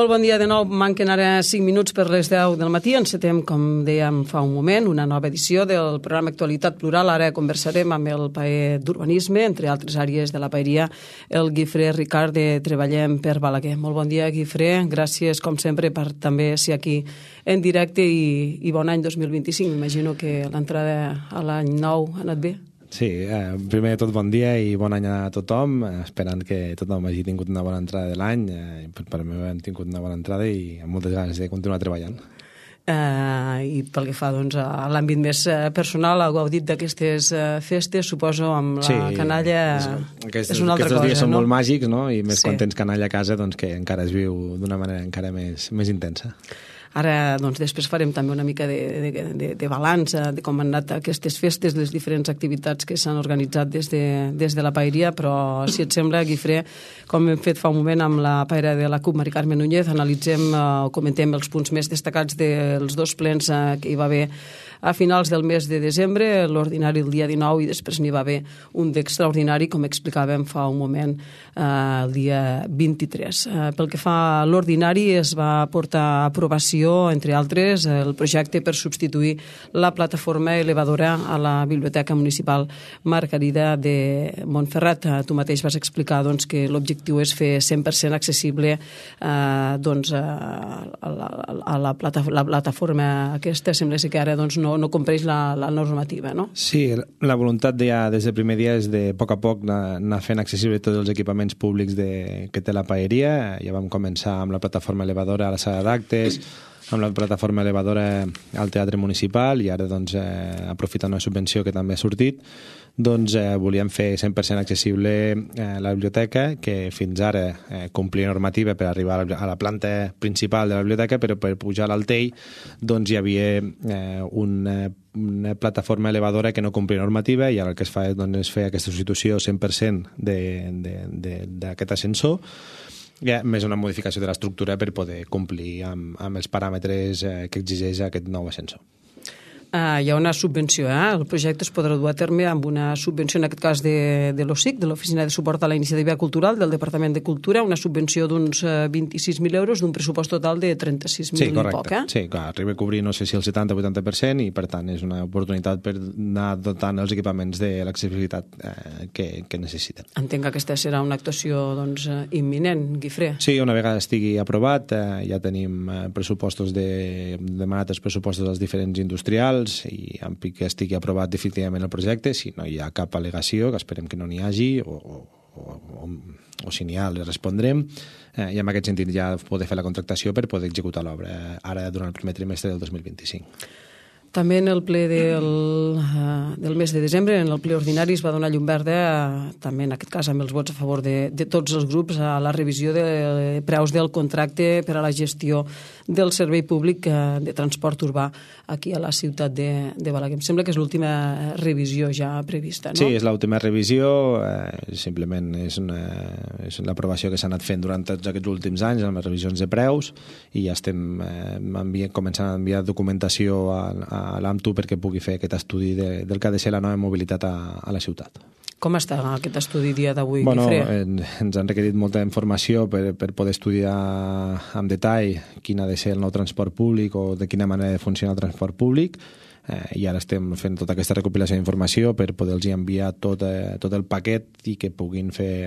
Molt bon dia de nou. Manquen ara 5 minuts per les 10 del matí. Encetem, com dèiem fa un moment, una nova edició del programa Actualitat Plural. Ara conversarem amb el paer d'urbanisme, entre altres àrees de la paeria, el Guifré Ricard de Treballem per Balaguer. Molt bon dia, Guifré. Gràcies, com sempre, per també ser aquí en directe i bon any 2025. M'imagino que l'entrada a l'any nou ha anat bé. Sí, primer de tot bon dia i bon any a tothom, esperant que tothom hagi tingut una bona entrada de l'any. Per mi hem tingut una bona entrada i amb moltes ganes de continuar treballant. I pel que fa doncs, a l'àmbit més personal, heu gaudit d'aquestes festes, suposo, amb la canalla és una altra cosa, no? Aquests dies són molt màgics, no? I més quan tens canalla a casa, doncs que encara es viu d'una manera encara més intensa. Ara, doncs, després farem també una mica de balanç de com han anat aquestes festes, les diferents activitats que s'han organitzat des de la paeria, però, si et sembla, Guifré, com hem fet fa un moment amb la paera de la CUP, Mari Carme Núñez, analitzem o comentem els punts més destacats dels dos plens que hi va haver a finals del mes de desembre, l'ordinari el dia 19, i després n'hi va haver un d'extraordinari, com explicàvem fa un moment, el dia 23. Pel que fa a l'ordinari, es va portar a aprovació, entre altres, el projecte per substituir la plataforma elevadora a la Biblioteca Municipal Margarida de Montferrat. Tu mateix vas explicar doncs, que l'objectiu és fer 100% accessible doncs, a la plataforma aquesta. Sembla que ara doncs, no compleix la normativa, no? Sí, la voluntat ja des del primer dia és de a poc anar fent accessible tots els equipaments públics que té la paeria. Ja vam començar amb la plataforma elevadora a la sala d'actes, amb la plataforma elevadora al Teatre Municipal, i ara, doncs, aprofitant una subvenció que també ha sortit, doncs volíem fer 100% accessible la biblioteca, que fins ara complia normativa per arribar a la planta principal de la biblioteca, però per pujar a l'Altell doncs hi havia una plataforma elevadora que no complia normativa, i ara el que es fa és fer aquesta substitució 100% d'aquest ascensor, més una modificació de l'estructura per poder complir amb els paràmetres que exigeix aquest nou ascensor. Hi ha una subvenció, el projecte es podrà dur a terme amb una subvenció, en aquest cas de l'OSIC, de l'Oficina de Suport a la Iniciativa Cultural del Departament de Cultura, una subvenció d'uns 26.000 euros d'un pressupost total de 36.000 i poc. Sí, clar, arriba a cobrir no sé si el 70-80%, i per tant és una oportunitat per anar dotant els equipaments de l'accessibilitat que necessiten. Entenc que aquesta serà una actuació doncs, imminent, Guifré. Sí, una vegada estigui aprovat, ja tenim pressupostos demanat els pressupostos dels diferents industrials, i en pic que estigui aprovat definitivament el projecte. Si no hi ha cap al·legació, que esperem que no n'hi hagi, o si n'hi ha, li respondrem, i en aquest sentit ja poder fer la contractació per poder executar l'obra ara durant el primer trimestre del 2025. També en el ple del mes de desembre, en el ple ordinari, es va donar llum verda, també en aquest cas amb els vots a favor de tots els grups, a la revisió de preus del contracte per a la gestió del servei públic de transport urbà aquí a la ciutat de Balaguer. Em sembla que és l'última revisió ja prevista, no? Sí, és l'última revisió, simplement és l'aprovació que s'ha anat fent durant tots aquests últims anys amb les revisions de preus, i ja estem començant a enviar documentació a l'AMTU perquè pugui fer aquest estudi del que ha de ser la nova mobilitat a la ciutat. Com està aquest estudi dia d'avui, Guifré? Ens han requerit molta informació per poder estudiar amb detall quin ha de ser el nou transport públic o de quina manera de funcionar el transport públic, i ara estem fent tota aquesta recopilació d'informació per poder-los enviar tot el paquet i que puguin fer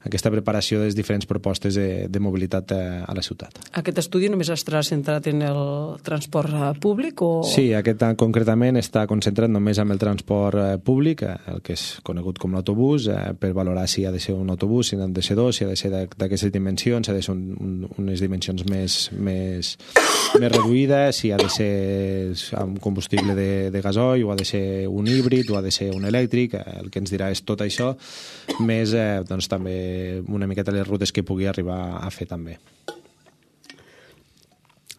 aquesta preparació de les diferents propostes de mobilitat a la ciutat. Aquest estudi només estarà centrat en el transport públic? Sí, aquest concretament està concentrat només en el transport públic, el que és conegut com l'autobús, per valorar si ha de ser un autobús, si ha de ser dos, si ha de ser d'aquestes dimensions, si ha de ser unes dimensions més reduïdes, si ha de ser amb combustible de gasoil, o ha de ser un híbrid, o ha de ser un elèctric. El que ens dirà és tot això, més doncs, també una miqueta les rutes que pugui arribar a fer també.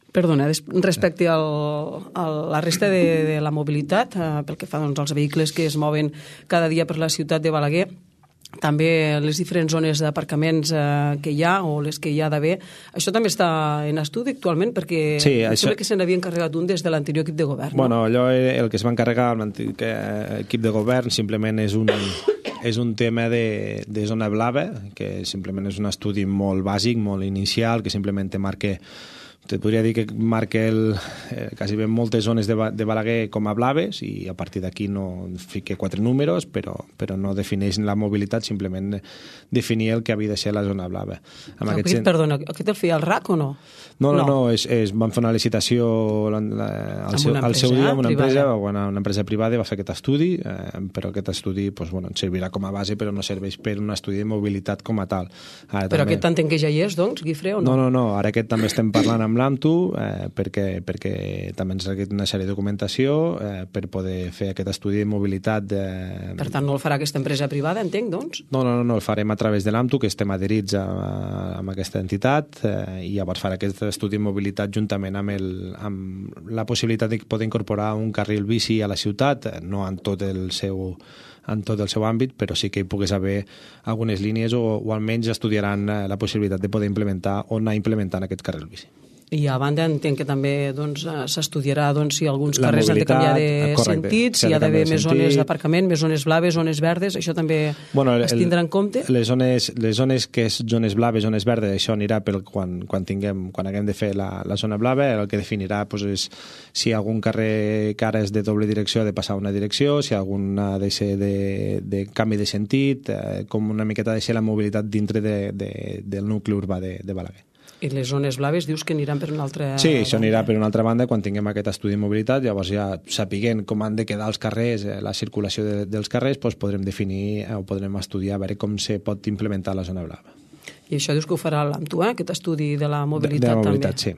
Perdona, respecte a la resta de la mobilitat, pel que fa doncs, als vehicles que es mouen cada dia per la ciutat de Balaguer, també les diferents zones d'aparcaments que hi ha o les que hi ha d'haver, això també està en estudi actualment, perquè sí, sembla que se n'havia encarregat un des de l'anterior equip de govern. Bueno, allò el que es va encarregar amb l'antic equip de govern simplement és és un tema de zona blava, que simplement és un estudi molt bàsic, molt inicial, que simplement te marca, te podria dir que marca quasi bé moltes zones de Balaguer com a blaves, i a partir d'aquí no fica 4 números, però no defineix la mobilitat, simplement definir el que havia de ser la zona blava. Perdona, aquest el feia el RAC o no? No, van fer una licitació al seu dia amb una empresa privada, va fer aquest estudi, però aquest estudi ens servirà com a base, però no serveix per un estudi de mobilitat com a tal. Però aquest entenc que ja hi és, doncs, Guifré, o no? No, ara aquest també estem parlant amb l'AMTU, perquè també ens requereix una sèrie de documentació per poder fer aquest estudi de mobilitat. Per tant, no el farà aquesta empresa privada, entenc, doncs? No, el farem a través de l'AMTU, que estem adherits amb aquesta entitat, i llavors farà aquest estudi de mobilitat juntament amb la possibilitat de poder incorporar un carril bici a la ciutat, no en tot el seu àmbit, però sí que hi pogués haver algunes línies o almenys estudiaran la possibilitat de poder implementar o anar implementant aquest carril bici. I a banda entenc que també s'estudiarà si alguns carrers han de canviar de sentit, si hi ha d'haver més zones d'aparcament, més zones blaves, zones verdes, això també es tindrà en compte? Les zones que és zones blaves, zones verdes, això anirà quan haguem de fer la zona blava, el que definirà és si algun carrer que ara és de doble direcció ha de passar a una direcció, si algun ha de ser de canvi de sentit, com una miqueta ha de ser la mobilitat dintre del nucli urbà de Balaguer. I les zones blaves dius que aniran per una altra banda? Sí, això anirà per una altra banda quan tinguem aquest estudi de mobilitat, llavors ja sapiguent com han de quedar els carrers, la circulació dels carrers, podrem definir o podrem estudiar a veure com se pot implementar la zona blava. I això dius que ho farà l'AMTU, aquest estudi de la mobilitat també? De la mobilitat, sí.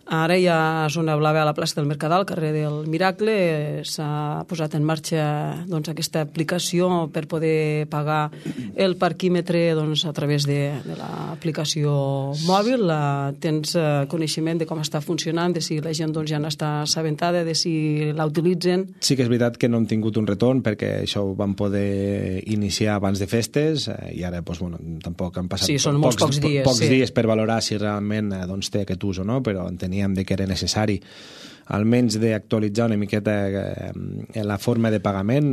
Ara hi ha zona blava a la plaça del Mercadal, carrer del Miracle. S'ha posat en marxa aquesta aplicació per poder pagar el parquímetre a través de l'aplicació mòbil. Tens coneixement de com està funcionant, de si la gent ja n'està assabentada, de si la utilitzen? Sí que és veritat que no hem tingut un retorn perquè això ho vam poder iniciar abans de festes i ara tampoc han passat pocs dies per valorar si realment té aquest ús o no, però enteníem que era necessari almenys d'actualitzar una miqueta la forma de pagament,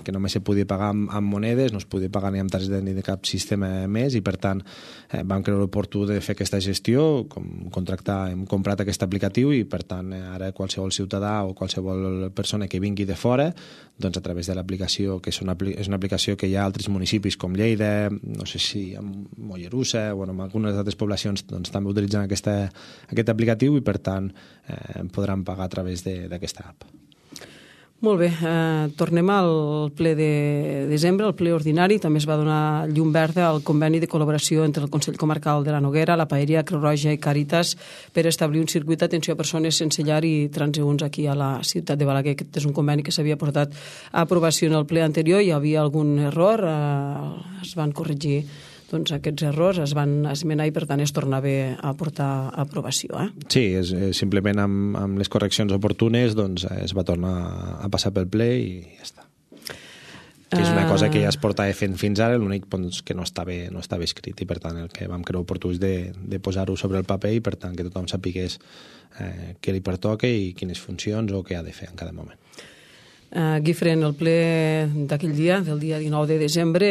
que només se podia pagar amb monedes, no es podia pagar ni amb targeta ni de cap sistema més, i per tant vam creure oportú de fer aquesta gestió, hem comprat aquest aplicatiu, i per tant ara qualsevol ciutadà o qualsevol persona que vingui de fora, a través de l'aplicació, que és una aplicació que hi ha a altres municipis com Lleida, no sé si a Mollerussa o en algunes altres poblacions també utilitzen aquest aplicatiu, i per tant podran pagar a través d'aquesta app. Molt bé, tornem al ple de desembre, al ple ordinari. També es va donar llum verda al conveni de col·laboració entre el Consell Comarcal de la Noguera, la Paeria, Creu Roja i Càritas per establir un circuit d'atenció a persones sense llar i transeünts aquí a la ciutat de Balaguer. Aquest és un conveni que s'havia portat a aprovació en el ple anterior. Hi havia algun error, es van corregir aquests errors, es van esmenar i per tant es tornava a portar a aprovació. Sí, simplement amb les correccions oportunes es va tornar a passar pel ple i ja està. Que és una cosa que ja es portava fent fins ara, l'únic que no estava escrit, i per tant el que vam creure oportú és de posar-ho sobre el paper, i per tant que tothom sapigués què li pertoca i quines funcions o què ha de fer en cada moment. Guifré, en el ple d'aquell dia, del dia 19 de desembre,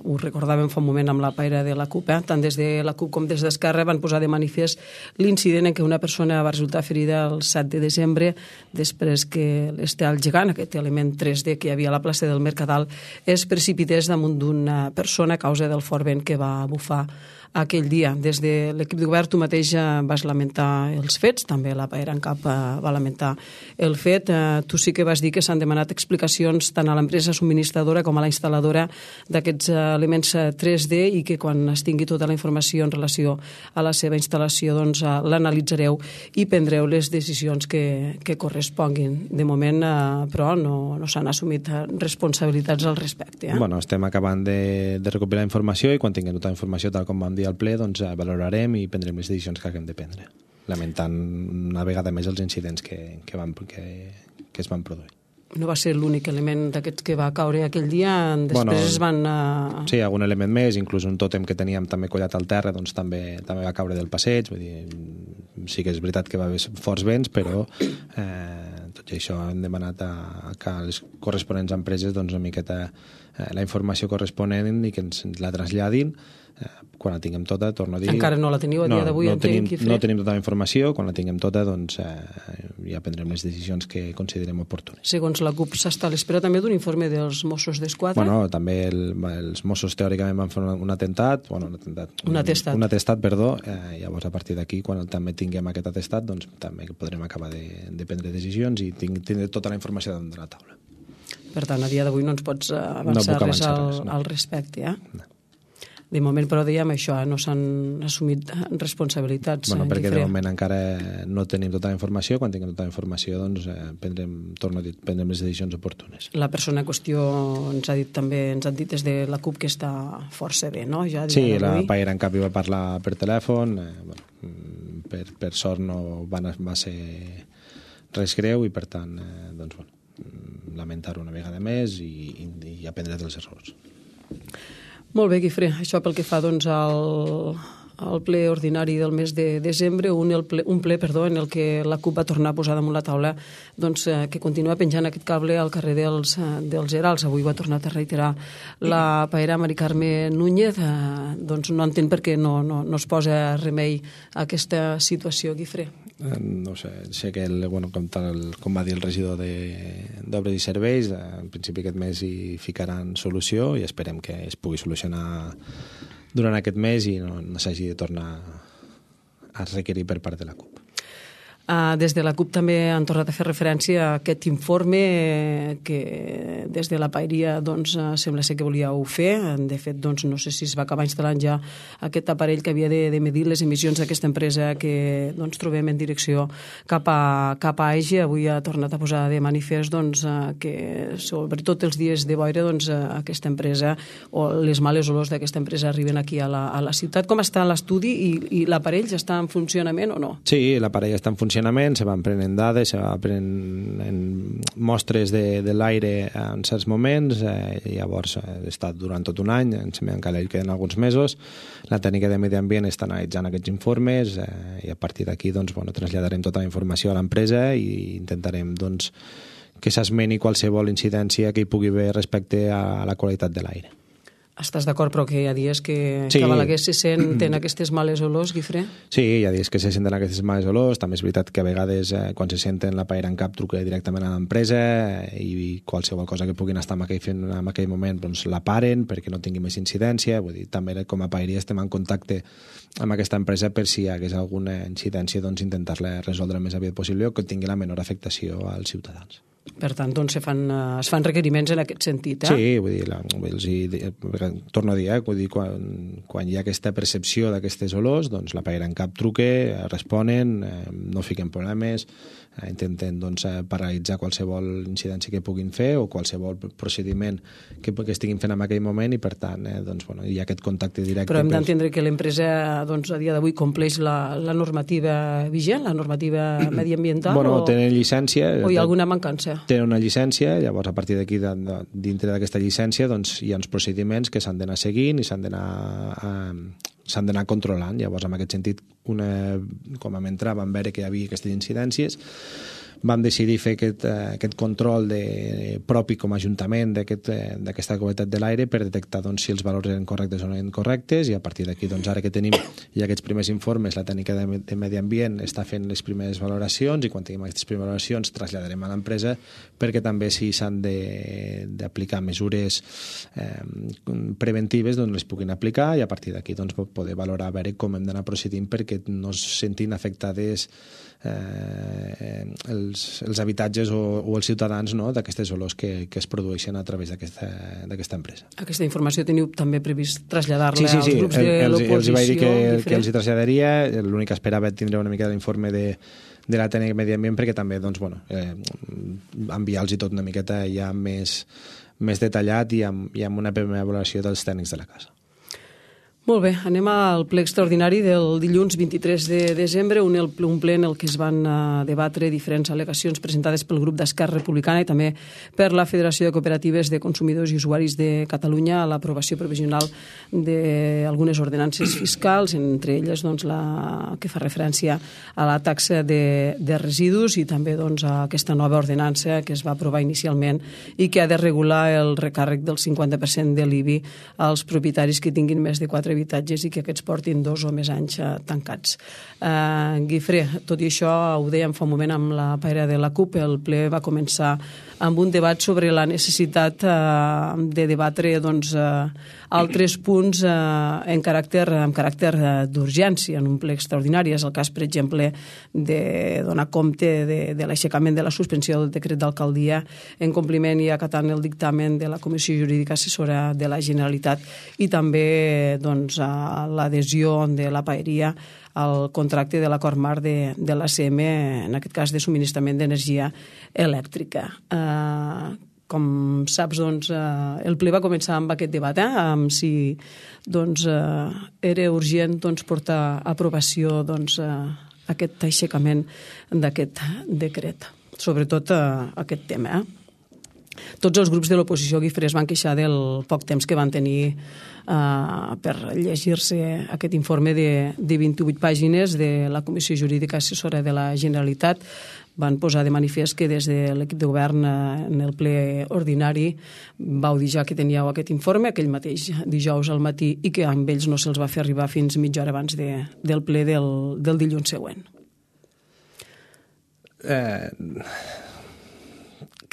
ho recordàvem fa un moment amb la paira de la CUP, tant des de la CUP com des d'Esquerra van posar de manifest l'incident en què una persona va resultar ferida el 7 de desembre després que l'estel gegant, aquest element 3D que hi havia a la plaça del Mercadal, es precipités damunt d'una persona a causa del fort vent que va bufar aquell dia. Des de l'equip de govern tu mateix vas lamentar els fets, també la Paera en Cap va lamentar el fet. Tu sí que vas dir que s'han demanat explicacions tant a l'empresa subministradora com a la instal·ladora d'aquests elements 3D, i que quan es tingui tota la informació en relació a la seva instal·lació l'analitzareu i prendreu les decisions que corresponguin. De moment, però, no s'han assumit responsabilitats al respecte. Bueno, estem acabant de recopilar informació, i quan tinguem tota la informació, tal com vam dir al ple, valorarem i prendrem les decisions que haguem de prendre, lamentant una vegada més els incidents que es van produir. No va ser l'únic element d'aquests que va caure aquell dia, després es van... Sí, algun element més, inclús un tòtem que teníem també collat al terra, també va caure del passeig, vull dir, sí que és veritat que va haver forts vents, però tot i això hem demanat que les corresponents empreses doncs, una miqueta la informació corresponent i que ens la traslladin. Quan la tinguem tota, torno a dir... Encara no la teniu a dia d'avui, entenc, Guifré? No tenim tota la informació, quan la tinguem tota doncs, ja prendrem les decisions que considerem oportunes. Segons la CUP s'està a l'espera també d'un informe dels Mossos d'Esquadra? Bueno, també els Mossos teòricament van fer un atestat, llavors a partir d'aquí, quan també tinguem aquest atestat, doncs també podrem acabar de prendre decisions i tindre tota la informació damunt de la taula. Per tant, a dia d'avui no ens pots avançar res al respecte, No. De moment, però, dèiem això, no s'han assumit responsabilitats. Bueno, perquè de moment encara no tenim tota la informació. Quan tinguem tota la informació, doncs, prendrem les decisions oportunes. La persona en qüestió ens ha dit des de la CUP que està força bé, no? Ja sí, la Paera en cap hi va parlar per telèfon. Per sort no va ser res greu i, per tant, doncs, lamentar-ho una vegada més i aprendre dels errors. Molt bé, Guifré. Això pel que fa doncs, al ple ordinari del mes de desembre, un ple en el que la CUP va tornar a posar damunt la taula doncs, que continua penjant aquest cable al carrer dels Herals. Avui ho ha tornat a reiterar la paera Mari Carme Núñez. Doncs no entén per què no es posa remei a aquesta situació, Guifré. No sé que, com va dir el regidor d'Obres i Serveis, en principi aquest mes hi ficaran solució i esperem que es pugui solucionar durant aquest mes i no s'hagi de tornar a requerir per part de la CUP. Des de la CUP també han tornat a fer referència a aquest informe que des de la paeria doncs, sembla ser que volíeu fer. De fet, doncs, no sé si es va acabar instal·lant ja aquest aparell que havia de medir les emissions d'aquesta empresa que doncs, trobem en direcció cap a Aige. Avui ha tornat a posar de manifest doncs, que sobretot els dies de boira doncs, aquesta empresa o les males olors d'aquesta empresa arriben aquí a la ciutat. Com està l'estudi i l'aparell ja està en funcionament o no? Sí, l'aparell està en funcionament, se van prenent dades, se van prenent mostres de l'aire en certs moments, llavors ha estat durant tot un any, encara hi queden alguns mesos. La tècnica de medi ambient està analitzant aquests informes i a partir d'aquí doncs, traslladarem tota la informació a l'empresa i intentarem doncs, que s'esmeni qualsevol incidència que hi pugui haver respecte a la qualitat de l'aire. Estàs d'acord, però que hi ha dies que a Balaguer se senten aquestes males olors, Guifré? Sí, hi ha dies que se senten aquestes males olors. També és veritat que a vegades quan se senten la paera en cap truca directament a l'empresa i qualsevol cosa que puguin estar fent en aquell moment doncs la paren perquè no tingui més incidència. Vull dir, també com a paeria estem en contacte amb aquesta empresa per si hi hagués alguna incidència doncs intentar-la resoldre el més aviat possible o que tingui la menor afectació als ciutadans. Per tant, doncs, es fan requeriments en aquest sentit, Sí, vull dir, torno a dir, quan hi ha aquesta percepció d'aquestes olors, doncs la paera en cap truque, responen, no fiquen problemes, intenten doncs, paralitzar qualsevol incidència que puguin fer o qualsevol procediment que estiguin fent en aquell moment i, per tant, doncs, hi ha aquest contacte directe. Però hem d'entendre que l'empresa doncs, a dia d'avui compleix la normativa vigent, la normativa mediambiental? Tenen llicència. O hi ha alguna mancança? Tenen una llicència, llavors a partir d'aquí, dintre d'aquesta llicència, doncs, hi ha uns procediments que s'han d'anar seguint i s'han d'anar controlant. Llavors, en aquest sentit, com vam entrar, vam veure que hi havia aquestes incidències, vam decidir fer aquest control propi com a ajuntament d'aquesta qualitat de l'aire per detectar doncs, si els valors eren correctes o no eren correctes i a partir d'aquí, doncs, ara que tenim ja aquests primers informes, la tècnica de medi ambient està fent les primeres valoracions i quan tinguem aquestes primeres valoracions traslladarem a l'empresa perquè també si s'han d'aplicar mesures preventives doncs les puguin aplicar i a partir d'aquí doncs, poder valorar a veure com hem d'anar procedint perquè no es sentin afectades els habitatges o els ciutadans d'aquestes olors que es produeixen a través d'aquesta empresa. Aquesta informació teniu també previst traslladar-la als grups de l'oposició? Els vaig dir que els hi traslladaria, l'únic que esperava tindre una mica l'informe de la tècnica de medi ambient perquè també enviar-los tot una miqueta ja més detallat i amb una primera valoració dels tècnics de la casa. Molt bé, anem al ple extraordinari del dilluns 23 de desembre, un ple en el que es van debatre diferents al·legacions presentades pel grup d'Esquerra Republicana i també per la Federació de Cooperatives de Consumidors i Usuaris de Catalunya a l'aprovació provisional d'algunes ordenances fiscals, entre elles doncs, la que fa referència a la taxa de residus i també doncs, a aquesta nova ordenança que es va aprovar inicialment i que ha de regular el recàrrec del 50% de l'IBI als propietaris que tinguin més de 4 habitatges i que aquests portin 2 o més anys tancats. Guifré, tot i això, ho dèiem fa un moment amb la paira de la CUP, el ple va començar amb un debat sobre la necessitat de debatre altres punts amb caràcter d'urgència en un ple extraordinari. És el cas, per exemple, de donar compte de l'aixecament de la suspensió del decret d'alcaldia en compliment i acatant el dictamen de la Comissió Jurídica Assessora de la Generalitat i també a l'adhesió de la paeria al contracte de l'acord marc de l'ACM, en aquest cas de subministrament d'energia elèctrica. Com saps, el ple va començar amb aquest debat, amb si era urgent portar a aprovació aquest aixecament d'aquest decret, sobretot aquest tema. Tots els grups de l'oposició, Guifré, es van queixar del poc temps que van tenir per llegir-se aquest informe de 28 pàgines de la Comissió Jurídica Assessora de la Generalitat. Van posar de manifest que des de l'equip de govern en el ple ordinari vau dir ja que teníeu aquest informe aquell mateix dijous al matí i que amb ells no se'ls va fer arribar fins mitja hora abans del ple del dilluns següent.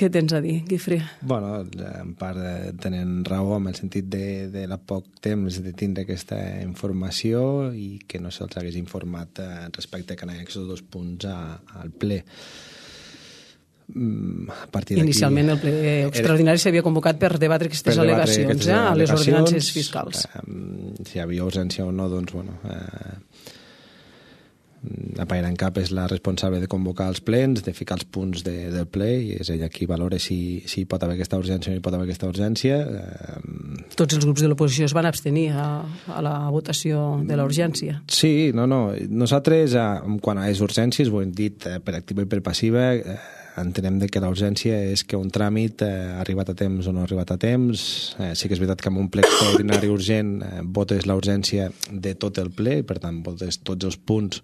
Què tens a dir, Guifré? Bueno, en part tenen raó en el sentit de la poc temps de tindre aquesta informació i que no se'ls hagués informat respecte a que aquests 2 punts al ple. Inicialment el ple extraordinari s'havia convocat per debatre aquestes al·legacions a les ordenances fiscals. Si hi havia urgència o no, doncs, bueno... La Paira en Cap és la responsable de convocar els plens, de ficar els punts del ple i és ella qui valora si hi pot haver aquesta urgència o no hi pot haver aquesta urgència. Tots els grups de l'oposició es van abstenir a la votació de la urgència. Sí, no. Nosaltres, quan a les urgències, ho hem dit per activa i per passiva, entenem que la urgència és que un tràmit ha arribat a temps o no ha arribat a temps. Sí que és veritat que amb un ple extraordinari urgent votes la urgència de tot el ple i per tant votes tots els punts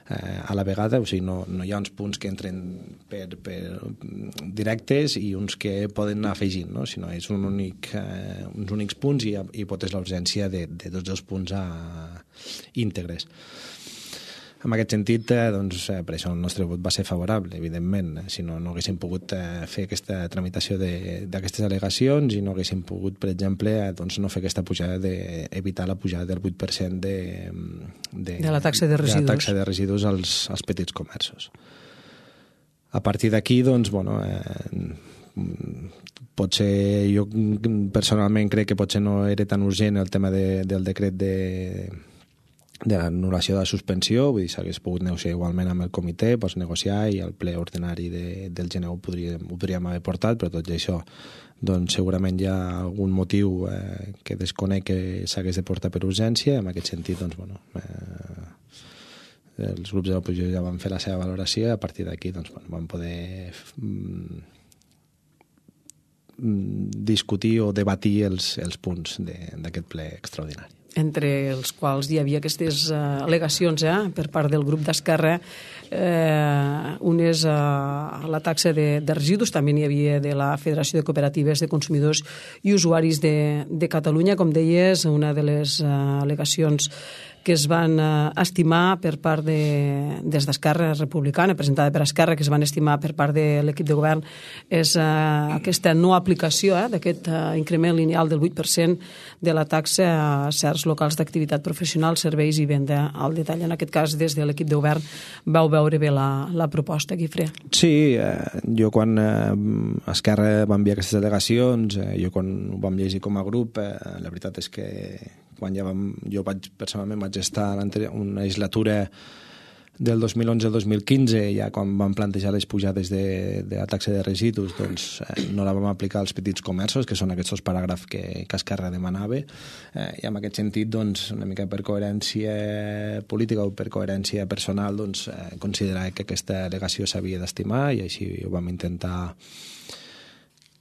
a la vegada, o sigui, no hi ha uns punts que entren per directes i uns que poden anar afegint, no? Sinó és uns únics punts i votes la urgència de tots els punts íntegres. En aquest sentit, per això el nostre vot va ser favorable, evidentment. Si no haguéssim pogut fer aquesta tramitació d'aquestes al·legacions i no haguéssim pogut, per exemple, no fer aquesta pujada evitar la pujada del 8% de la taxa de residus. De la taxa de residus als petits comerços. A partir d'aquí, potser jo personalment crec que potser no era tan urgent el tema del decret de l'anul·lació de la suspensió, vull dir, s'hagués pogut negociar igualment amb el comitè, pots negociar i el ple ordinari del gener ho podríem haver portat, però tot i això segurament hi ha algun motiu que desconec que s'hagués de portar per urgència. En aquest sentit, els grups de l'oposició ja van fer la seva valoració i a partir d'aquí van poder discutir o debatir els punts d'aquest ple extraordinari. Entre els quals hi havia aquestes al·legacions per part del grup d'Esquerra, unes a la taxa de residus, també n'hi havia de la Federació de Cooperatives de Consumidors i Usuaris de Catalunya. Com deies, una de les al·legacions que es van estimar per part des d'Esquerra Republicana, presentada per Esquerra, que es van estimar per part de l'equip de govern, és aquesta no aplicació d'aquest increment lineal del 8% de la taxa a certs locals d'activitat professional, serveis i venda al detall. En aquest cas, des de l'equip de govern, vau veure bé la proposta, Guifré. Sí, jo quan Esquerra va enviar aquestes al·legacions, jo quan ho vam llegir com a grup, la veritat és que quan jo personalment vaig estar una legislatura del 2011 al 2015, ja quan vam plantejar les pujades de la taxa de residus, doncs no la vam aplicar als petits comerços, que són aquests paràgrafs que Esquerra demanava, i en aquest sentit, doncs, una mica per coherència política o per coherència personal, doncs, considerar que aquesta al·legació s'havia d'estimar, i així ho vam intentar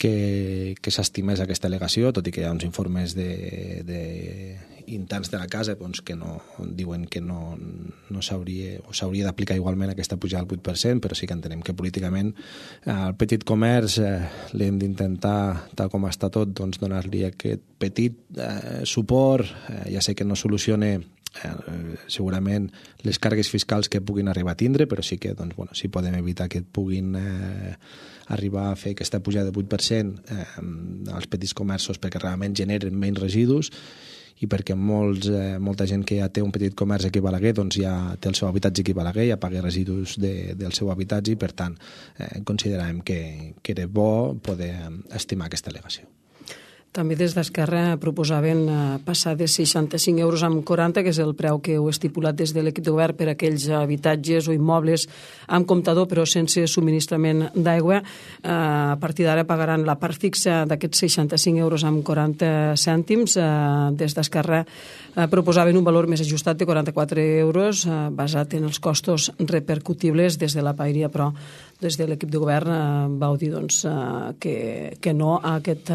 que s'estimés aquesta al·legació, tot i que hi ha uns informes interns de la casa doncs, que diuen que no s'hauria o s'hauria d'aplicar igualment aquesta pujada al 8%, però sí que entenem que políticament al petit comerç l'hem d'intentar, tal com està tot, doncs, donar-li aquest petit suport. Ja sé que no soluciona segurament les càrregues fiscals que puguin arribar a tindre, però sí que doncs, bueno, si podem evitar que puguin arribar a fer aquesta pujada del 8% als petits comerços perquè realment generen menys residus i perquè molta gent que ja té un petit comerç aquí a Balaguer doncs ja té el seu habitatge aquí a Balaguer, ja paga residus del seu habitatge i per tant consideràvem que era bo poder estimar aquesta al·legació. També des d'Esquerra proposaven passar de 65 euros amb 40, que és el preu que heu estipulat des de l'equip de govern per a aquells habitatges o immobles amb comptador però sense subministrament d'aigua. A partir d'ara pagaran la part fixa d'aquests 65 euros amb 40 cèntims. Des d'Esquerra proposaven un valor més ajustat de 44 euros basat en els costos repercutibles des de la paeria, però des de l'equip de govern vau dir doncs, que no a aquest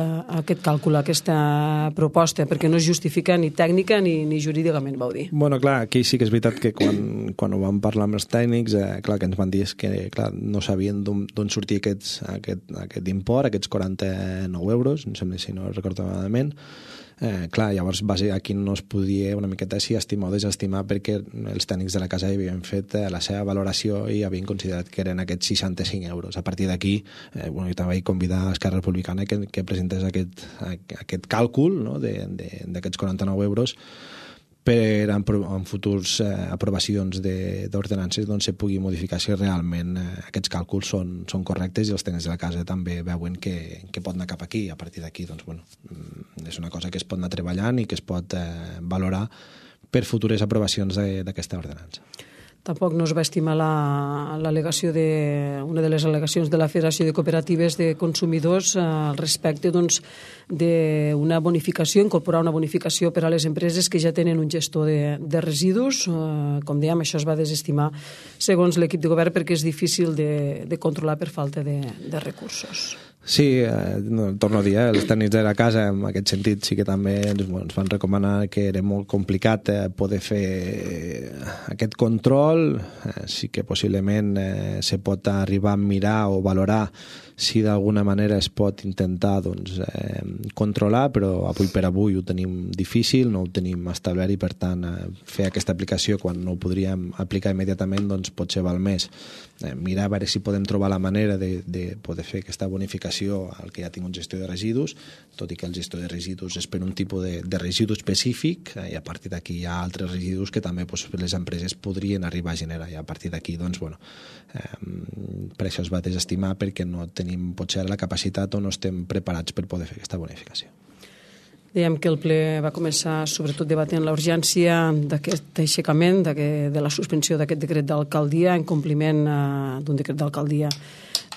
càlcul, a aquesta proposta, perquè no es justifica ni tècnica ni jurídicament, vau dir. Bueno, clar, aquí sí que és veritat que quan ho vam parlar amb els tècnics, clar, que ens van dir que clar, no sabien d'on sortia aquest import, aquests 49 euros, em sembla, si no recordo malament. Clar, llavors aquí no es podia una miqueta si estimar o desestimar perquè els tècnics de la casa havien fet la seva valoració i havien considerat que eren aquests 65 euros. A partir d'aquí, jo també vaig convidar a Esquerra Republicana que presentés aquest càlcul, no, d'aquests 49 euros per en futurs aprovacions d'ordenances doncs se pugui modificar si realment aquests càlculs són correctes i els tècnics de la casa també veuen que pot anar cap aquí. A partir d'aquí doncs, bueno, és una cosa que es pot anar treballant i que es pot valorar per futures aprovacions d'aquesta ordenança. Tampoc no es va estimar l'al·legació una de les al·legacions de la Federació de Cooperatives de Consumidors al respecte doncs, d'una bonificació, incorporar una bonificació per a les empreses que ja tenen un gestor de residus. Com dèiem, això es va desestimar segons l'equip de govern perquè és difícil de controlar per falta de recursos. Sí, torno a dir, els tècnics de la casa en aquest sentit sí que també ens van recomanar que era molt complicat poder fer aquest control. Sí que possiblement se pot arribar a mirar o valorar si d'alguna manera es pot intentar doncs, controlar, però avui per avui ho tenim difícil, no ho tenim establert i per tant fer aquesta aplicació quan no ho podríem aplicar immediatament doncs potser val més mirar a veure si podem trobar la manera de poder fer aquesta bonificació al que ja tinc un gestor de residus, tot i que el gestor de residus és per un tipus de residu específic i a partir d'aquí hi ha altres residus que també doncs, les empreses podrien arribar a generar i a partir d'aquí doncs, bueno, per això es va desestimar perquè no tenim potser la capacitat o no estem preparats per poder fer aquesta bonificació. Dèiem que el ple va començar sobretot debatent la urgència d'aquest aixecament, de la suspensió d'aquest decret d'alcaldia en compliment d'un decret d'alcaldia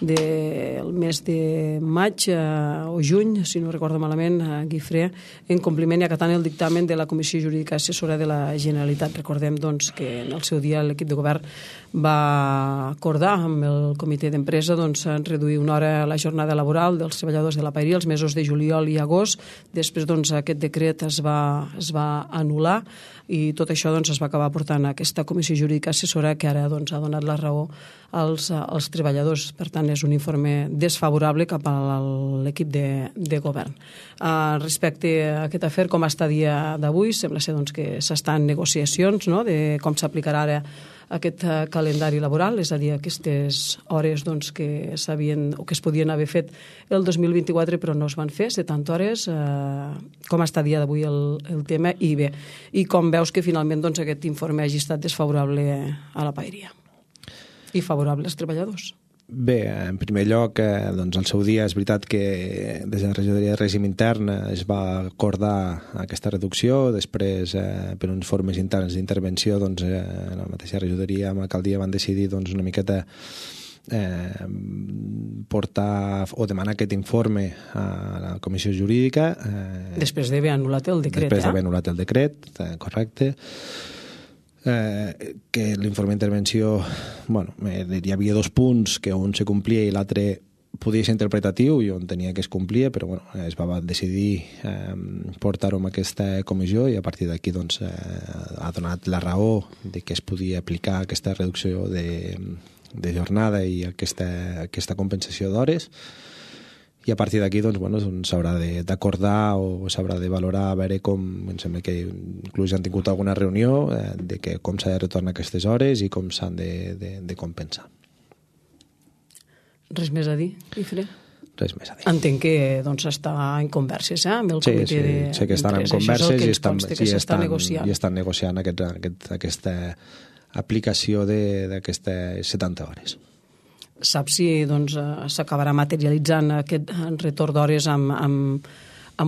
del mes de maig o juny, si no recordo malament, Guifré, en compliment i acatant el dictamen de la Comissió Jurídica Assessora de la Generalitat. Recordem doncs, que en el seu dia l'equip de govern va acordar amb el comitè d'empresa doncs, reduir una hora la jornada laboral dels treballadors de la paeria els mesos de juliol i agost. Després doncs, aquest decret es va anul·lar i tot això doncs, es va acabar portant a aquesta Comissió Jurídica Assessora que ara doncs, ha donat la raó als treballadors. Per tant, és un informe desfavorable cap a l'equip de govern. Respecte a aquest afer, com està a dia d'avui, sembla ser doncs, que s'estan en negociacions, no?, de com s'aplicarà ara aquest calendari laboral, és a dir, aquestes hores doncs, que s'havien o que es podien haver fet el 2024 però no es van fer, 70 hores, com està a dia d'avui el tema i bé, i com veus que finalment doncs, aquest informe hagi estat desfavorable a la paeria i favorable als treballadors? Bé, en primer lloc, doncs al seu dia és veritat que des de la regidoria de règim intern es va acordar aquesta reducció, després per uns formes interns d'intervenció doncs, la mateixa regidoria amb l'alcaldia van decidir doncs, una miqueta portar o demanar aquest informe a la comissió jurídica. Després d'haver anul·lat el decret. Després d'haver anul·lat el decret, correcte. Que l'informe d'intervenció, bueno, hi havia 2 punts, que un se complia i l'altre podia ser interpretatiu i on tenia que es complia, però bueno, es va decidir portar-ho amb aquesta comissió i a partir d'aquí doncs, ha donat la raó de que es podia aplicar aquesta reducció de jornada i aquesta compensació d'hores. I a partir d'aquí doncs, bueno, s'haurà d'acordar o s'haurà de valorar a veure com, em sembla que inclús han tingut alguna reunió de que com s'ha de retornar aquestes hores i com s'han de compensar. Res més a dir, Guifré? Res més a dir. Entenc que doncs, està en converses amb el comitè de... Sí, sé que estan en converses i estan negociant aquesta aplicació d'aquestes 70 hores. Saps si doncs, s'acabarà materialitzant aquest retorn d'hores amb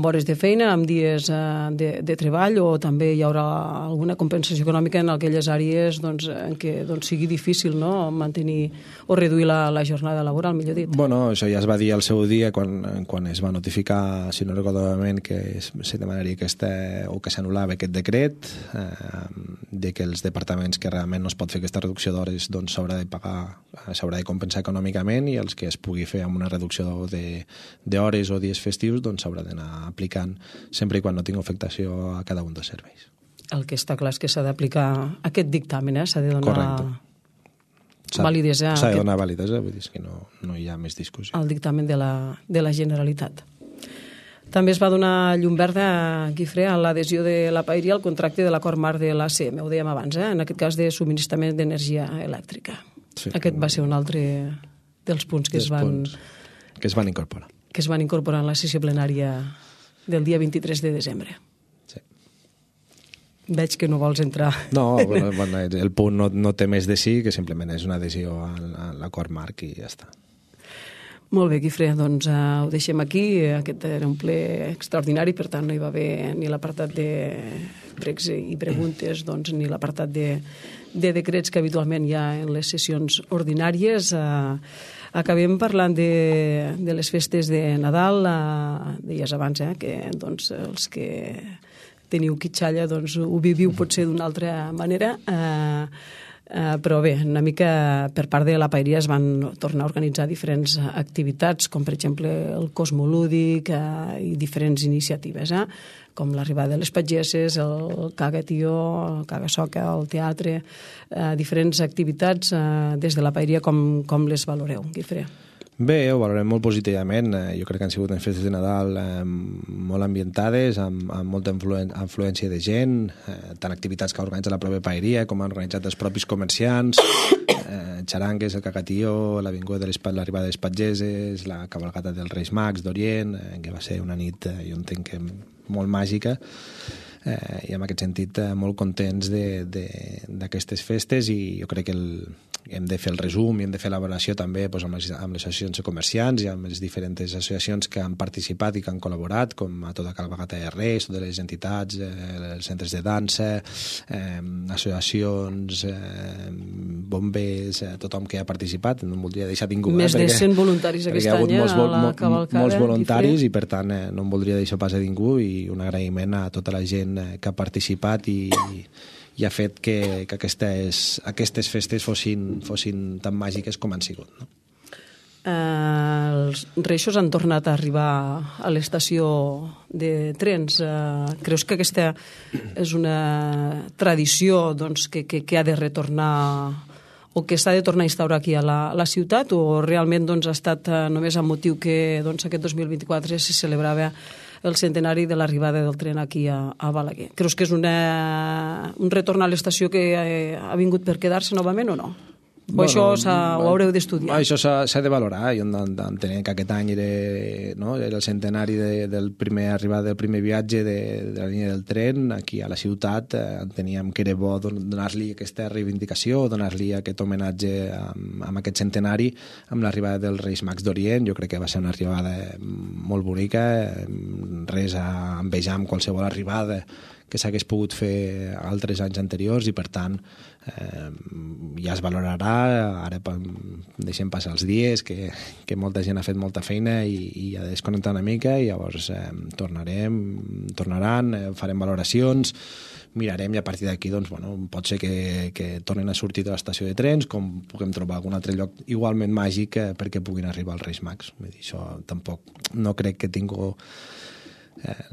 hores de feina, amb dies de treball, o també hi haurà alguna compensació econòmica en aquelles àrees doncs, en què doncs, sigui difícil, no?, mantenir o reduir la jornada laboral, millor dit? Bueno, això ja es va dir al seu dia quan es va notificar, si no recordo malament, que se demanaria o que s'anul·lava aquest decret, de que els departaments que realment no es pot fer aquesta reducció d'hores doncs s'haurà de pagar, s'haurà de compensar econòmicament, i els que es pugui fer amb una reducció d'hores o dies festius doncs s'haurà d'anar aplicant sempre i quan no tingui afectació a cada un dels serveis. El que està clar és que s'ha d'aplicar aquest dictamen, s'ha de donar... Correcte. Validesa. S'ha de donar validesa, vull dir que no hi ha més discussió. El dictamen de la Generalitat. També es va donar llum verda, Guifré, a l'adhesió de la Paeria al contracte de l'acord marc de l'ACM, ho dèiem abans, en aquest cas de subministrament d'energia elèctrica. Sí. Aquest va ser un altre dels punts que es van incorporar. Que es van incorporar en la sessió plenària del dia 23 de desembre. Sí. Veig que no vols entrar. No, bueno, el punt no té més de sí, que simplement és una adhesió a l'acord marc i ja està. Molt bé, Guifré, doncs ho deixem aquí. Aquest era un ple extraordinari, per tant no hi va haver ni l'apartat de pregs i preguntes, doncs, ni l'apartat de decrets que habitualment hi ha en les sessions ordinàries. Acabem parlant de les festes de Nadal. Deies abans que doncs, els que teniu quitxalla doncs, ho viviu potser d'una altra manera, però bé, una mica per part de la Paeria es van tornar a organitzar diferents activitats, com per exemple el Cosmolúdic i diferents iniciatives, com l'arribada de les pageses, el Caga Tió, el Caga Soca, el teatre, diferents activitats des de la Paeria, com les valoreu, Guifré? Bé, ho valorem molt positivament. Jo crec que han sigut unes festes de Nadal molt ambientades, amb molta afluència de gent, tant activitats que ha organitzat la pròpia Paeria com han organitzat els propis comerciants, xarangues, el cagatió, l'avinguda de l'arribada de les pageses, la cavalgata dels Reis Mags d'Orient, que va ser una nit, jo entenc que molt màgica, i en aquest sentit molt contents d'aquestes festes, i jo crec que hem de fer el resum i hem de fer l'avaluació també amb les associacions de comerciants i amb les diferents associacions que han participat i que han col·laborat, com a tota Cavalgata de Reis, totes les entitats, els centres de dansa, associacions, bombers, tothom que ha participat, no em voldria deixar ningú. Més de 100 voluntaris aquest any a la cavalcada. Molts voluntaris, i per tant no em voldria deixar pas a ningú, i un agraïment a tota la gent que ha participat i ha fet que aquestes festes fossin tan màgiques com han sigut, no? Els reixos han tornat a arribar a l'estació de trens. Creus que aquesta és una tradició doncs, que ha de retornar o que s'ha de tornar a instaurar aquí a la ciutat, o realment doncs, ha estat només amb motiu que doncs, aquest 2024 se celebrava el centenari de l'arribada del tren aquí a Balaguer? Creus que és un retorn a l'estació que ha vingut per quedar-se novament o no? O això ho haureu d'estudiar? Això s'ha de valorar. Jo entenent que aquest any era el centenari del primer arribat del primer viatge de la línia del tren aquí a la ciutat. Enteníem que era bo donar-li aquesta reivindicació, donar-li aquest homenatge amb aquest centenari, amb l'arribada dels Reis Mags d'Orient. Jo crec que va ser una arribada molt bonica, res a envejar amb qualsevol arribada que s'hagués pogut fer altres anys anteriors, i per tant ja es valorarà. Ara deixem passar els dies, que molta gent ha fet molta feina i ha de desconnectar una mica, i llavors tornaran, farem valoracions, mirarem, i a partir d'aquí pot ser que tornen a sortir de l'estació de trens, com puguem trobar algun altre lloc igualment màgic perquè puguin arribar els Reis Mags. Això tampoc no crec que tingui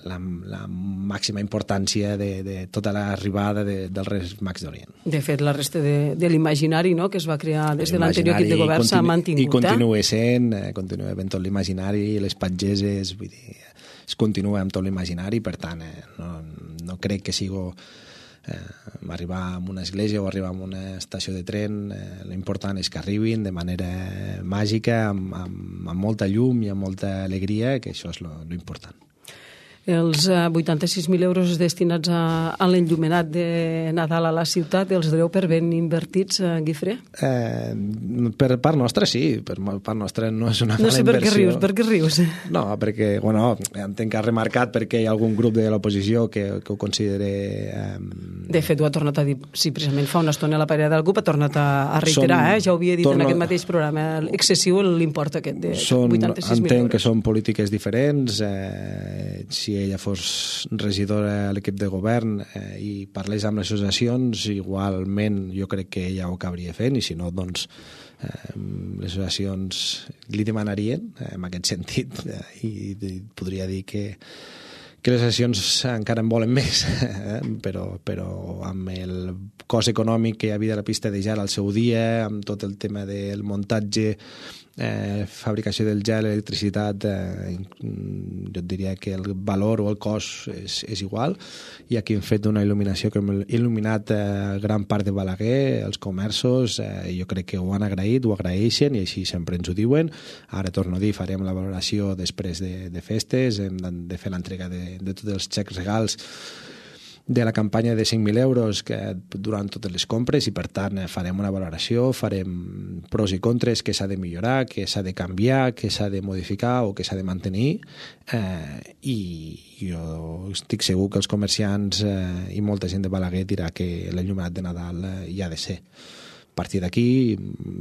la màxima importància de tota l'arribada dels Reis Mags d'Orient. De fet, la resta de l'imaginari que es va crear des de l'anterior equip de govern s'ha mantingut. I continua sent, continua havent tot l'imaginari, les patgeses, vull dir, es continua amb tot l'imaginari, per tant, no crec que sigui arribar a una església o arribar a una estació de tren. L'important és que arribin de manera màgica, amb molta llum i amb molta alegria, que això és l'important. Els 86.000 euros destinats a l'enllumenat de Nadal a la ciutat, els doneu per ben invertits, Guifré? Per part nostra, sí. Per part nostra no és una mala inversió. No sé per què rius. No, perquè, entenc que ha remarcat perquè hi ha algun grup de l'oposició que ho considera... De fet, ho ha tornat a dir, sí, precisament fa una estona la parella del CUP ha tornat a reiterar, ja ho havia dit en aquest mateix programa, excessiu l'import aquest de 86.000 euros. Entenc que són polítiques diferents. Si ella fos regidora a l'equip de govern i parlés amb les associacions, igualment jo crec que ella ho acabaria fent, i si no, doncs les associacions li demanarien en aquest sentit, i podria dir que les associacions encara en volen més, però amb el cost econòmic que hi havia de la pista de gel al seu dia, amb tot el tema del muntatge, fabricació del gel, electricitat, jo et diria que el valor o el cost és igual, i aquí hem fet una il·luminació que hem il·luminat gran part de Balaguer, els comerços, jo crec que ho han agraït, ho agraeixen, i així sempre ens ho diuen. Ara torno a dir, farem la valoració després de festes, hem de fer l'entrega de tots els xecs regals de la campanya de 5.000 euros durant totes les compres, i per tant farem una valoració, farem pros i contres, què s'ha de millorar, què s'ha de canviar, què s'ha de modificar o què s'ha de mantenir, i jo estic segur que els comerciants i molta gent de Balaguer dirà que l'enllumenat de Nadal hi ha de ser. A partir d'aquí,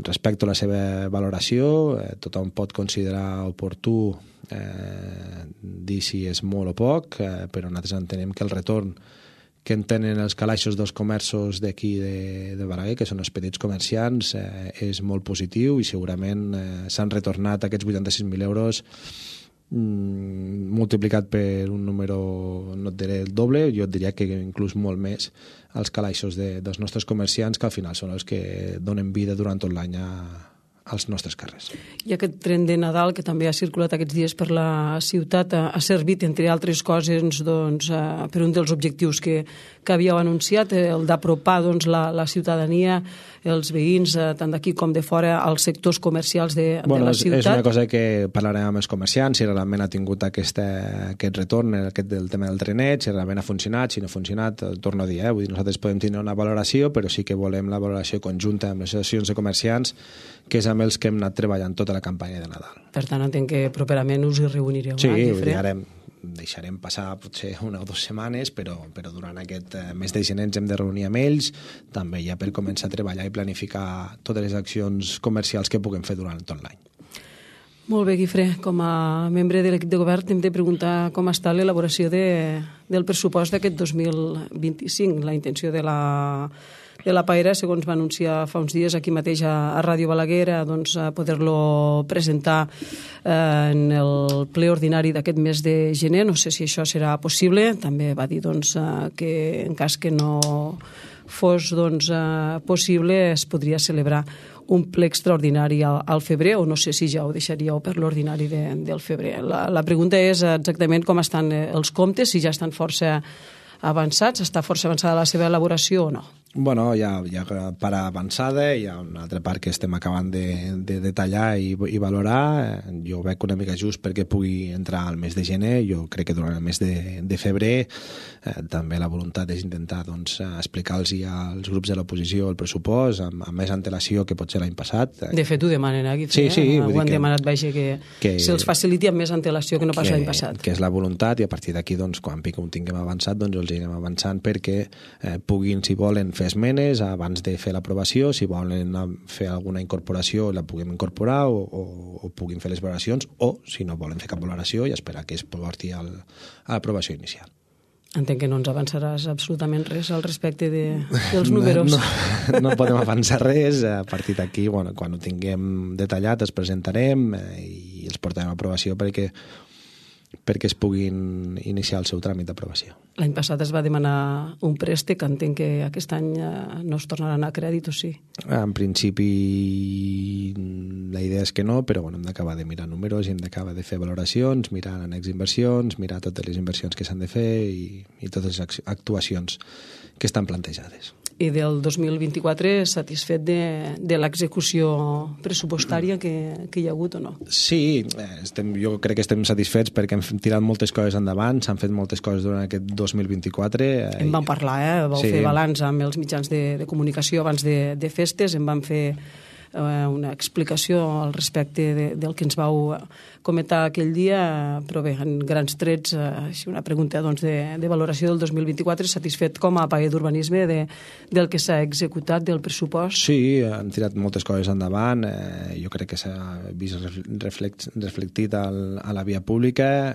respecto a la seva valoració, tothom pot considerar oportú dir si és molt o poc, però nosaltres entenem que el retorn que en tenen els calaixos dels comerços d'aquí de Balaguer, que són els petits comerciants, és molt positiu, i segurament s'han retornat aquests 86.000 euros multiplicat per un número, no et diré el doble, jo et diria que inclús molt més, als calaixos dels nostres comerciants, que al final són els que donen vida durant tot l'any als nostres carrers. I aquest tren de Nadal, que també ha circulat aquests dies per la ciutat, ha servit, entre altres coses, per un dels objectius que havíeu anunciat, el d'apropar la ciutadania, els veïns, tant d'aquí com de fora, als sectors comercials de la ciutat. És una cosa que parlarem amb els comerciants, si realment ha tingut aquest retorn, del tema del trenet, si realment ha funcionat, si no ha funcionat, torno a dir, vull dir, nosaltres podem tenir una valoració, però sí que volem la valoració conjunta amb les associacions de comerciants, que és amb els que hem anat treballant tota la campanya de Nadal. Per tant, entenc que properament us hi reunireu. Sí, ara deixarem passar potser 1 o 2 setmanes, però durant aquest mes de gener ens hem de reunir amb ells, també ja per començar a treballar i planificar totes les accions comercials que puguem fer durant tot l'any. Molt bé, Guifré. Com a membre de l'equip de govern hem de preguntar com està l'elaboració del pressupost d'aquest 2025. La intenció de la Paera, segons va anunciar fa uns dies aquí mateix a Ràdio Balaguer, a poder-lo presentar en el ple ordinari d'aquest mes de gener. No sé si això serà possible. També va dir que en cas que no fos possible es podria celebrar un ple extraordinari al febrer, o no sé si ja ho deixaríeu per l'ordinari del febrer. La pregunta és exactament com estan els comptes, si ja estan força avançats, està força avançada la seva elaboració o no? Bueno, hi ha part avançada, hi ha una altra part que estem acabant de detallar i valorar. Jo ho veig una mica just perquè pugui entrar al mes de gener. Jo crec que durant el mes de febrer també la voluntat és intentar explicar-los als grups de l'oposició el pressupost amb més antelació que pot ser l'any passat. De fet, ho demanen aquí. Sí. Ho han demanat, que se'ls faciliti amb més antelació que no pas l'any passat. Que és la voluntat, i a partir d'aquí, quan ho tinguem avançat, els anirem avançant perquè puguin, si volen, fer esmenes abans de fer l'aprovació, si volen fer alguna incorporació la puguem incorporar o puguin fer les valoracions, o si no volen fer cap valoració i esperar que es porti a l'aprovació inicial. Entenc que no ens avançaràs absolutament res al respecte dels números. No podem avançar res. A partir d'aquí, quan ho tinguem detallat, els presentarem i els portarem a aprovació perquè es puguin iniciar el seu tràmit d'aprovació. L'any passat es va demanar un préstec, entenc que aquest any no es tornaran a crèdit, o sí? En principi la idea és que no, però hem d'acabar de mirar números i hem d'acabar de fer valoracions, mirar annex inversions, mirar totes les inversions que s'han de fer i totes les actuacions que estan plantejades. I del 2024 satisfet de l'execució pressupostària que hi ha hagut o no? Sí, jo crec que estem satisfets perquè hem tirat moltes coses endavant, s'han fet moltes coses durant aquest 2024. En vam parlar, vau fer balanç amb els mitjans de comunicació abans de festes, en vam fer una explicació al respecte del que ens vau comentar aquell dia, però bé, en grans trets, una pregunta de valoració del 2024, satisfet com a paller d'urbanisme del que s'ha executat, del pressupost? Sí, han tirat moltes coses endavant, jo crec que s'ha vist reflectit a la via pública,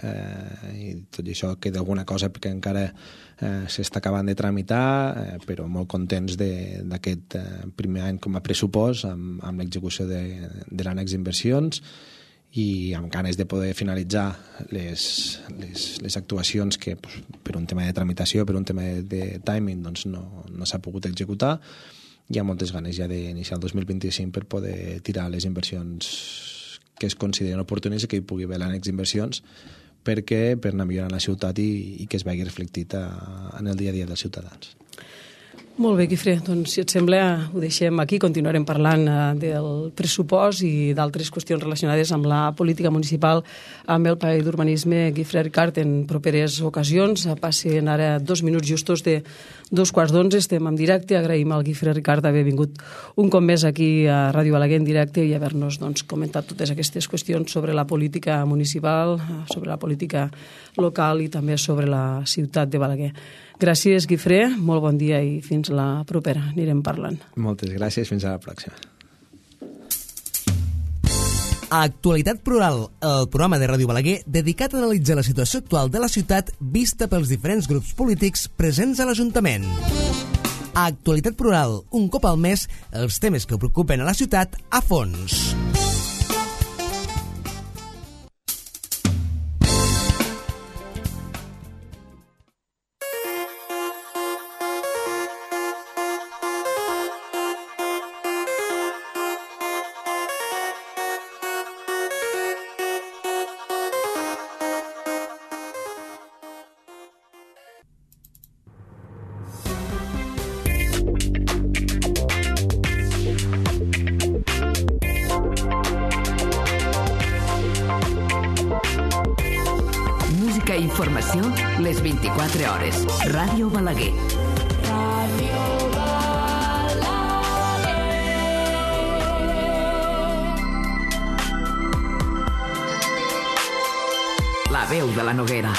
i tot això queda alguna cosa perquè encara s'està acabant de tramitar, però molt contents d'aquest primer any com a pressupost amb l'execució de l'annex d'inversions i amb ganes de poder finalitzar les actuacions que per un tema de tramitació, per un tema de timing no s'ha pogut executar. Hi ha moltes ganes ja d'iniciar el 2025 per poder tirar les inversions que es consideren oportunes i que hi pugui haver l'annex d'inversions per anar millorant la ciutat i que es vegi reflectit en el dia a dia dels ciutadans. Molt bé, Guifré, doncs si et sembla ho deixem aquí, continuarem parlant del pressupost i d'altres qüestions relacionades amb la política municipal amb el paller d'urbanisme Guifré Ricart en properes ocasions. Passen ara 2 minuts justos de 2:15, estem en directe. Agraïm al Guifré Ricart haver vingut un cop més aquí a Ràdio Balaguer en directe i haver-nos comentat totes aquestes qüestions sobre la política municipal, sobre la política local i també sobre la ciutat de Balaguer. Gràcies, Guifré, molt bon dia i fins la propera. Anirem parlant. Moltes gràcies, fins a la pròxima. Actualitat Plural, el programa de Ràdio Balaguer dedicat a analitzar la situació actual de la ciutat vista pels diferents grups polítics presents a l'Ajuntament. Actualitat Plural, un cop al mes, els temes que preocupen a la ciutat a fons. Informació les 24 hores. Ràdio Balaguer. Ràdio Balaguer. La veu de la Noguera.